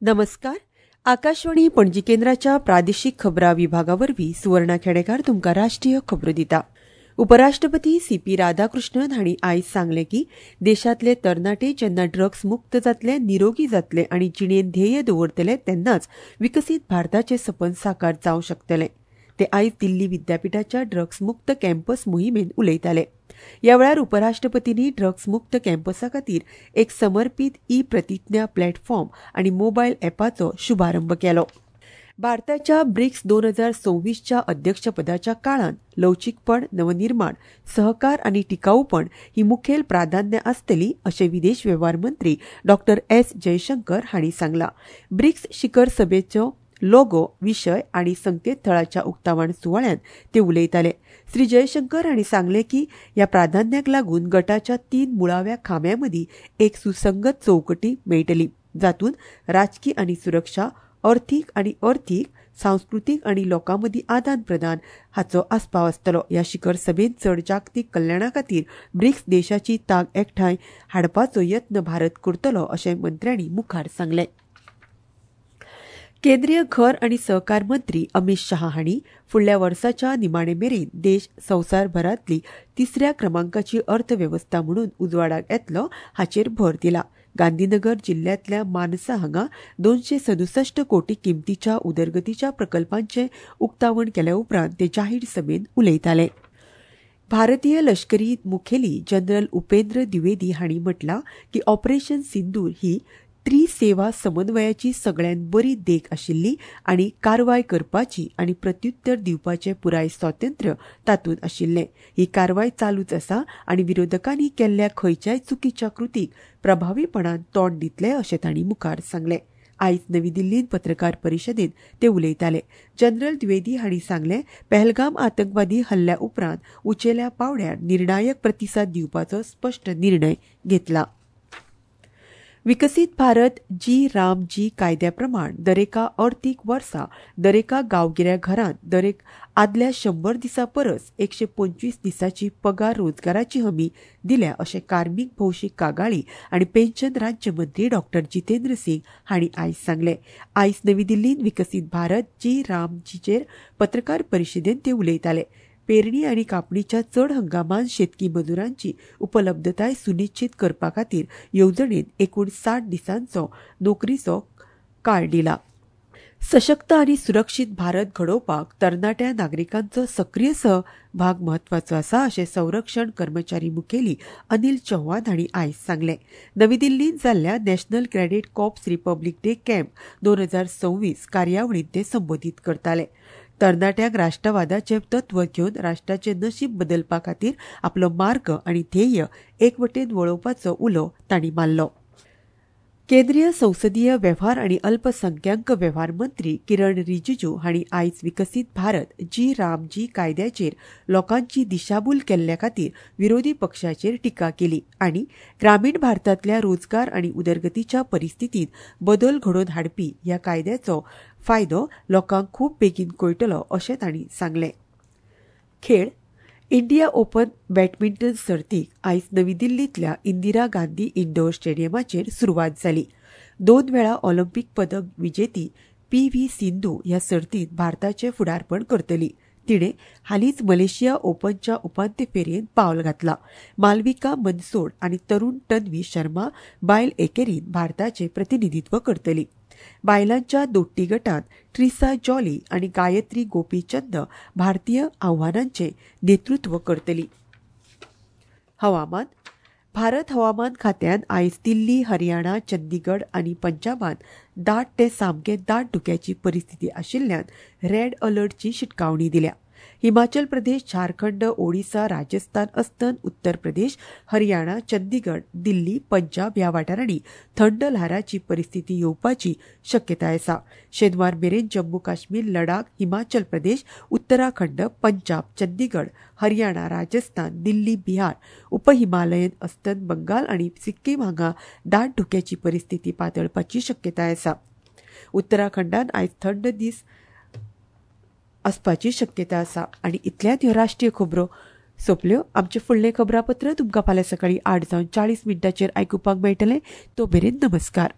नमस्कार. आकाशवाणी पणजी केंद्राच्या प्रादेशीक खबरां विभागा वरवीं सुवर्णा खेडेकार तुमकां राष्ट्रीय खबरो दिता. उपराष्ट्रपती सी पी राधाकृष्णन हांणी आयज सांगलें की देशांतले तरणाटे जेन्ना ड्रग्स मुक्त जातले, निरोगी जातले आनी जिणेंत ध्येय दवरतले तेन्नाच विकसीत भारताचें सपन साकार जावं शकतलें. ते आयज दिल्ली विद्यापिठाच्या ड्रग्स मुक्त कॅम्पस मोहिमेंत उलयताले. ह्या वेळार उपराष्ट्रपतींनी ड्रग्स मुक्त कॅम्पसा खातीर एक समर्पीत ई प्रतिज्ञा प्लॅटफॉर्म आनी मोबायल ॲपाचो शुभारंभ केलो. भारताच्या ब्रिक्स 2026च्या अध्यक्षपदाच्या काळांत लवचीकपण, नवनिर्माण, सहकार आनी टिकाऊपण ही मुखेल प्राधान्य आसतली अशें विदेश वेव्हार मंत्री डॉ एस जयशंकर हांणी सांगलां. ब्रिक्स शिखर सभेचो लोगो, विशय आनी संकेतथळाच्या उक्तावण सुवाळ्यांत ते उलयताले. श्री जयशंकर हांणी सांगलें की ह्या प्राधान्याक लागून गटाच्या 3 मुळाव्या खांब्यां मदीं एक सुसंगत चौकटी मेळटली, जातूंत राजकी आनी सुरक्षा, अर्थीक आनी अर्थीक, सांस्कृतीक आनी लोकां मदीं आदान प्रदान हाचो आस्पाव आसतलो. ह्या शिखर सभेंत चड जागतीक कल्याणा खातीर ब्रिक्स देशाची तांक एकठांय हाडपाचो यत्न भारत करतलो अशें मंत्र्यांनी मुखार सांगलें. केंद्रीय घर आनी सहकार मंत्री अमित शहा हांणी फुडल्या वर्साच्या निमाणे मेरेन देश संवसारभरांतली 3ऱ्या क्रमांकाची अर्थवेवस्था म्हणून उजवाडाक येतलो हाचेर भर दिला. गांधीनगर जिल्ह्यांतल्या मानसा हांगा 267 कोटी किमतीच्या उदरगतीच्या प्रकल्पांचें उक्तावण केल्या उपरांत ते जाहीर सभेंत उलयताले. भारतीय लष्करी मुखेली जनरल उपेंद्र द्विवेदी हांणी म्हटलां की ऑपरेशन सिंदूर ही त्रिसेवा समन्वयाची सगळ्यांत बरी देख आशिल्ली आनी कारवाय करपाची आनी प्रत्युत्तर दिवपाचें पुराय स्वातंत्र्य तातूंत आशिल्लें. ही कारवाय चालूच आसा आनी विरोधकांनी केल्ल्या खंयच्याय चुकीच्या कृतीक प्रभावीपणान तोंड दितले अशें तांणी मुखार सांगलें. आयज नवी दिल्लींत पत्रकार परिशदेंत ते उलयताले. जनरल द्विवेदी हांणी सांगलें, पहलगाम आतंकवादी हल्ल्या उपरांत उंचेल्या पांवड्यार निर्णायक प्रतिसाद दिवपाचो स्पश्ट निर्णय घेतला. विकसीत भारत जी राम जी कायद्या प्रमाण दरेका अर्थीक वर्सा दरेका गांवगिऱ्या घरांत दरेक आदल्या 100 दिसां परस 125 दिसांची पगार रोजगाराची हमी दिल्या अशें कार्मीक, भौशीक कागाळी आनी पेन्शन राज्यमंत्री डॉ जितेंद्र सिंग हांणी आयज सांगलें. आयज नवी दिल्लींत विकसीत भारत जी राम जीचेर पत्रकार परिशदेंत ते उलयताले. पेरणी आनी कापणीच्या चड हंगामांत शेतकी मजुरांची उपलब्धताय सुनिश्चित करपा खातीर येवजणेंत एकूण 60 दिसांचो नोकरीचो काळ दिला. सशक्त आनी सुरक्षीत भारत घडोवपाक तरणाट्या नागरिकांचो सक्रीय सहभाग म्हत्वाचो आसा अशें संरक्षण कर्मचारी मुखेली अनिल चौहान हांणी आयज सांगलें. नवी दिल्लींत जाल्ल्या National Cadet Corps Republic Day camp 2026 कार्यावळींत ते संबोधीत करताले. तरणाट्यांक राष्ट्रवादाचें तत्व घेवन राष्ट्राचें नशीब बदलपा खातीर आपलो मार्ग आनी ध्येय एकवटेन वळोवपाचो उलो तांणी मारलो. केंद्रीय संसदीय वेव्हार आनी अल्पसंख्याक वेव्हार मंत्री किरण रिजिजू हांणी आयज विकसीत भारत जी राम जी कायद्याचेर लोकांची दिशाभूल केल्ल्या खातीर विरोधी पक्षाचेर टिका केली आनी ग्रामीण भारतांतल्या रोजगार आनी उदरगतीच्या परिस्थितींत बदल घडोवन हाडपी ह्या कायद्याचो फायदो लोकांक खूब बेगीन कळटलो अशें तांणी सांगलें. खेळ. इंडिया ओपन बॅडमिंटन सर्तीक आयज नवी दिल्लींतल्या इंदिरा गांधी इंडोर स्टेडियमाचेर सुरवात जाली. 2 वेळा ऑलिम्पीक पदक विजेती पी व्ही सिंधू ह्या सर्तींत भारताचें फुडारपण करतली. तिणें हालींच मलेशिया ओपनच्या उपांत्य फेरयेंत पावल घातलां. मालविका मनसोड आनी तरुण तन्वी शर्मा बायल एकेरींत भारताचें प्रतिनिधित्व करतली. बायलांच्या दोट्टी गटांत ट्रिसा जॉली आनी गायत्री गोपीचंद भारतीय आव्हानांचें नेतृत्व करतली. हवामान. भारत हवामान खात्यान आयज दिल्ली, हरियाणा, चंदीगड आनी पंजाबांत दाट ते सामके दाट धुक्याची परिस्थिती आशिल्ल्यान रेड अलर्टची शिटकावणी दिल्या. हिमाचल प्रदेश, झारखंड, ओडिसा, राजस्थान, अस्तंत उत्तर प्रदेश, हरियाणा, चंदीगड, दिल्ली, पंजाब ह्या वाठारांनी थंड ल्हाराची परिस्थिती येवपाची शक्यताय आसा. शेनवार मेरेन जम्मू काश्मीर, लडाख, हिमाचल प्रदेश, उत्तराखंड, पंजाब, चंदीगड, हरियाणा, राजस्थान, दिल्ली, बिहार, उपहिमालयन अस्तंत बंगाल आनी सिक्कीम हांगा दाट धुक्याची परिस्थिती पातळपाची शक्यताय आसा. उत्तराखंडात आयज थंड दीस आसपाची शक्यता आसा. आनी इतल्यात ह्यो राष्ट्रीय खबरो सोंपल्यो. आमचें फुडलें खबरापत्र तुमकां फाल्यां सकाळीं 8:40 आयकुपाक मेळटलें. तो मेरेन नमस्कार.